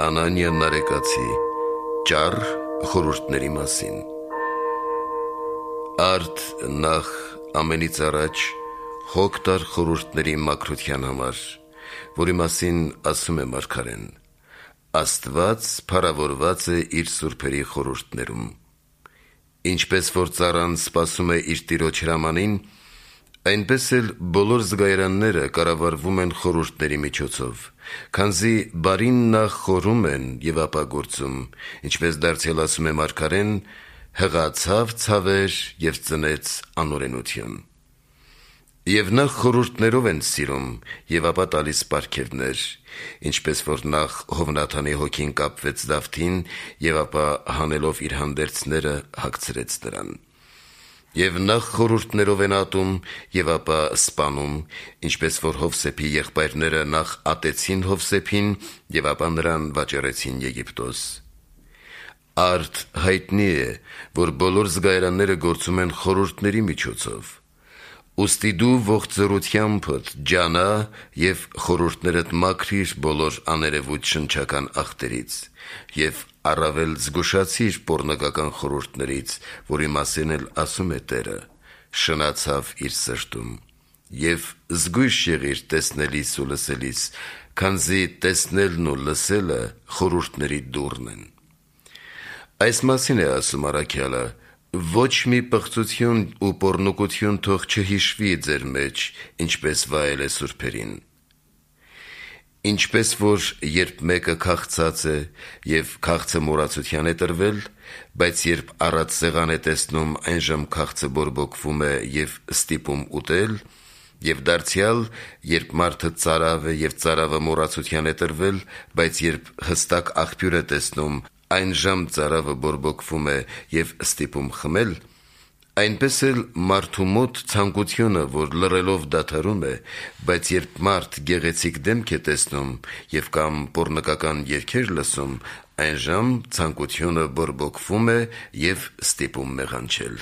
Անանիա Նարեկացի ճառ խորհուրդների մասին։ Արդ նախ ամենից առաջ հոգ տար խորհուրդների մաքրության համար, որի մասին ասում է մարգարեն. Աստված փառավորված է իր սուրբերի խորհուրդներում։ Ինչպես որ ծառան սպասում է իր տիրոջ հրամանին, այնպես էլ բոլոր զգայարանները կառավարվում են խորհուրդների միջոցով, քանզի բարին նախ խորում են և ապա գործում, ինչպես դարձյալ ասում է մարգարեն. հղացավ ցավեր և ծնեց անօրենություն։ Եվ նախ խորհուրդներով են սիրում և ապա տալիս պարգևներ, ինչպես որ նախ Հովնաթանի հոգին կապվեց Դավթին և ապա հանելով իր հանդերձները հագցրեց նրան։ Եվ նախ խորհուրդներով են ատում և ապա սպանում, ինչպես որ Հովսեփի եղբայրները նախ ատեցին Հովսեփին և ապա նրան վաճառեցին Եգիպտոս։ Արդ հայտնի է, որ բոլոր զգայարանները գործում են խորհուրդների միջոցով։ Ուստի դու ողջերությամբ ջանա և խորհուրդներդ մաքրիր բոլոր աներևույթ շնչական աղտերից և առավել զգուշացիր պոռնոգական խորհուրդներից, որի մասին էլ ասում է Տերը. շնացավ իր սրտում, և զգույշ եղիր տեսնելիս ու լսելիս, քանզի տեսնելն ու լսելը խորհուրդների դուռն են։ Այս մասին է ասում առաքյալը. ոչ մի պղծություն ու պոռնկություն թող չհիշվի ձեր մեջ, ինչպես վայել է սուրբերին։ Ինչպես որ երբ մեկը քաղցած է և քաղցը մոռացության է տրվել, բայց երբ առատ սեղան է տեսնում, այնժամ քաղցը բորբոքվում է և ստիպում ուտել, և դարձյալ, երբ մարդը ծարավ է և ծարավը մոռացության է տրվել, բայց երբ հստակ աղբյուր է տեսնում, այնժամ ծարավը բորբոքվում է և ստիպում խմել, այնպես էլ մարդու մոտ ցանկությունը, որ լռելով դադարում է, բայց երբ մարդ գեղեցիկ դեմք է տեսնում և կամ պոռնկական երգեր լսում, այնժամ ցանկությունը բորբոքվում է և ստիպում մեղանչել։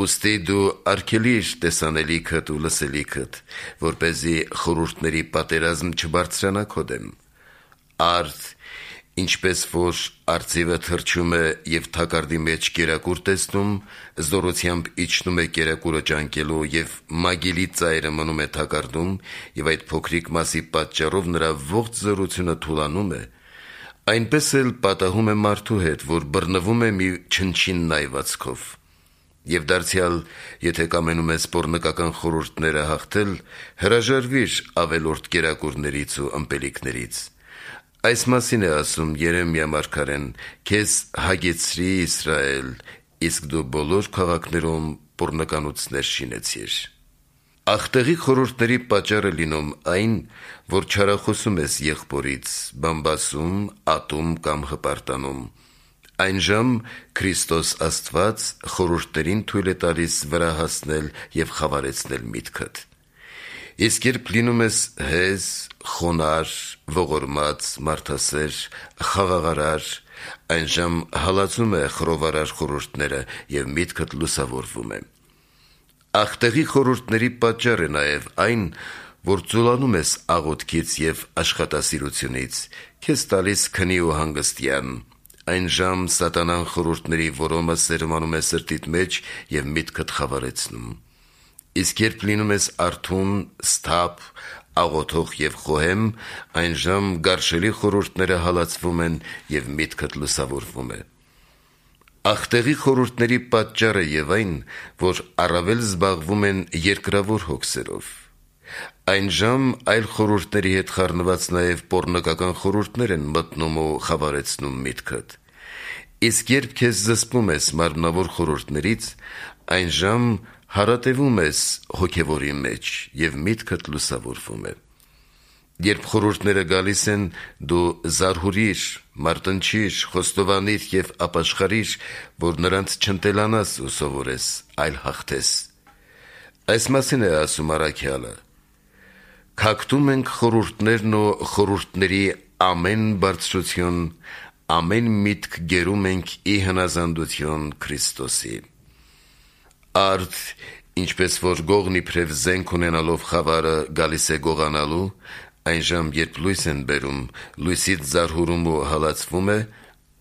Ուստի դու արգելիր տեսանելիքդ ու լսելիքդ, որպեսզի խորհուրդների պատերազմ չբարձրանա քո դեմ։ Արդ ինչպես որ արծիվը թռչում է և թակարդի մեջ կերակուր տեսնում, զորությամբ իջնում է կերակուրը ճանկելու և մագիլի ծայրը մնում է թակարդում և այդ փոքրիկ մասի պատճառով նրա ողջ զորությունը թուլանում է, այնպես էլ պատահում է մարդու հետ, որ բռնվում է մի չնչին նայվածքով։ Եվ դարձյալ, եթե կամենում ես պոռնկական խորհուրդները հաղթել, հրաժարվիր ավելորդ կերակուրներից ու ըմպելիքներից։ Այս մասին է ասում Երեմիա մարգարեն. քեզ հագեցրի Իսրայել, իսկ դու բոլոր քաղաքներում պոռնկանոցներ շինեցիր։ Աղտեղի խորհուրդների պատճառ է լինում այն, որ չարախոսում ես եղբորից, բամբասում, ատում կամ հպարտանում։ Այնժամ Քրիստոս Աստված խորհուրդներին թույլ է տալիս վրա հասնել և խավարեցնել միտքդ։ Իսկ երբ լինում ես հեզ, խոնարհ, ողորմած, մարդասեր, խաղաղարար, այնժամ հալածում է խռովարար խորհուրդները և միտքդ լուսավորվում է։ Աղտեղի խորհուրդների պատճառ է նաև այն, որ ծուլանում ես աղոթքից և աշխատասիրությունից, քեզ տալիս քնի ու հանգստյան, այնժամ սատանան խորհուրդների որոմը սերմանում է սրտիդ մեջ և միտքդ խավարեցնում։ Իսկ երբ լինում ես արթուն, սթափ, աղոթող և խոհեմ, այնժամ գարշելի խորհուրդները հալածվում են և միտքդ լուսավորվում է։ Աղտեղի խորհուրդների պատճառը և այն, որ առավել զբաղվում են երկրավոր հոգսերով։ Այնժամ այլ խորհուրդների հետ խառնված նաև պոռնկական խորհուրդներ են մտնում ու խավարեցնում միտքդ։ Իսկ երբ քեզ զսպում ես մարմնավոր խորհուրդներից, այնժամ հարատևում ես հոգևորի մեջ և միտքդ լուսավորվում է։ Երբ խորհուրդները գալիս են, դու զարհուրիր, մարտնչիր, խոստովանիր և ապաշխարիր, որ նրանց չընտելանաս ու սովորես, այլ հաղթես։ Այս մասին է ասում առաքյալը. «Քակտում ենք խորհուրդներն ու խորհուրդների ամեն բարձրություն, ամեն միտք գերում ենք ի հնազանդություն Քրիստոսի»։ Արդ ինչպես որ գողն իբրև զենք ունենալով խավարը գալիս է գողանալու, Այնժամ, երբ լույս են բերում, լույսից զարհուրում ու հալածվում է,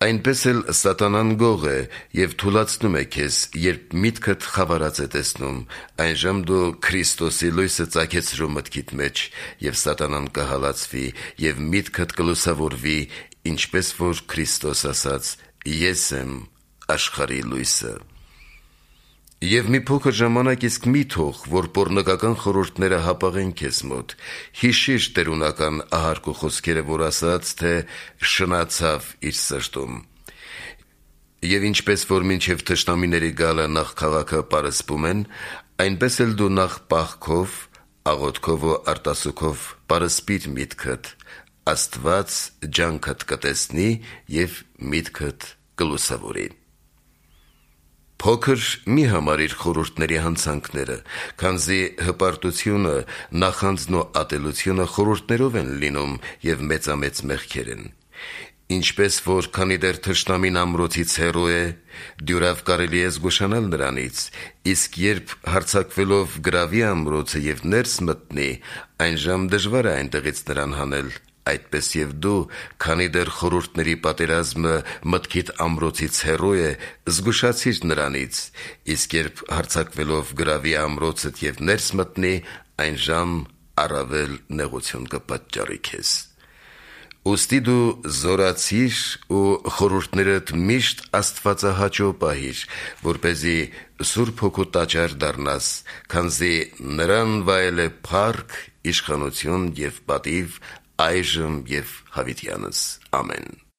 այնպես էլ սատանան գող է և թուլացնում է քեզ, երբ միտքդ խավարած է տեսնում, այնժամ դու Քրիստոսի լույսը ծագեցրու մտքիդ մեջ, և սատանան կհալածվի, և միտքդ կլուսավորվի, ինչպես որ Քրիստոս ասաց. «Ես եմ աշխարհի լույսը»։ Եվ մի փոքր ժամանակ իսկ մի թող, որ պոռնկական խորհուրդները հապաղեն քեզ մոտ, հիշիր տերունական ահարկու խոսքերը, որ ասաց, թե շնացավ իր սրտում։ Եվ ինչպես որ մինչև թշնամիների գալը նախ քաղաքը պարսպում են, այնպես էլ դու նախ պահքով, աղոթքով ու արտասուքով պարսպիր միտքդ, Աստված ջանքդ կտեսնի և միտքդ կլուսավորի։ Փոքր մի համարիր խորհուրդների հանցանքները, քանզի հպարտությունը, նախանձն ու ատելությունը խորհուրդներով են լինում և մեծամեծ մեղքեր են։ Ինչպես որ քանի դեռ թշնամին ամրոցից հեռու է, դյուրավ կարելի է զգուշանալ նրանից, իսկ երբ հարձակվելով գրավի ամրոցը և ներս մտնի, այնժամ դժվար է այնտեղից նրան հանել, այդպես և դու, քանի դեռ խորհուրդների պատերազմը մտքիդ ամրոցից հեռու է, զգուշացիր նրանից, իսկ երբ հարձակվելով գրավի ամրոցդ և ներս մտնի, այնժամ առավել նեղություն կպատճառի քեզ։ Ուստի դու զորացիր ու խորհուրդներդ միշտ աստվածահաճո պահիր, որպեսզի Սուրբ Հոգու տաճար դառնաս, քանզի նրան վայել է փառք, իշխանություն և պատիվ այժմ և հավիտյանս։ Ամեն։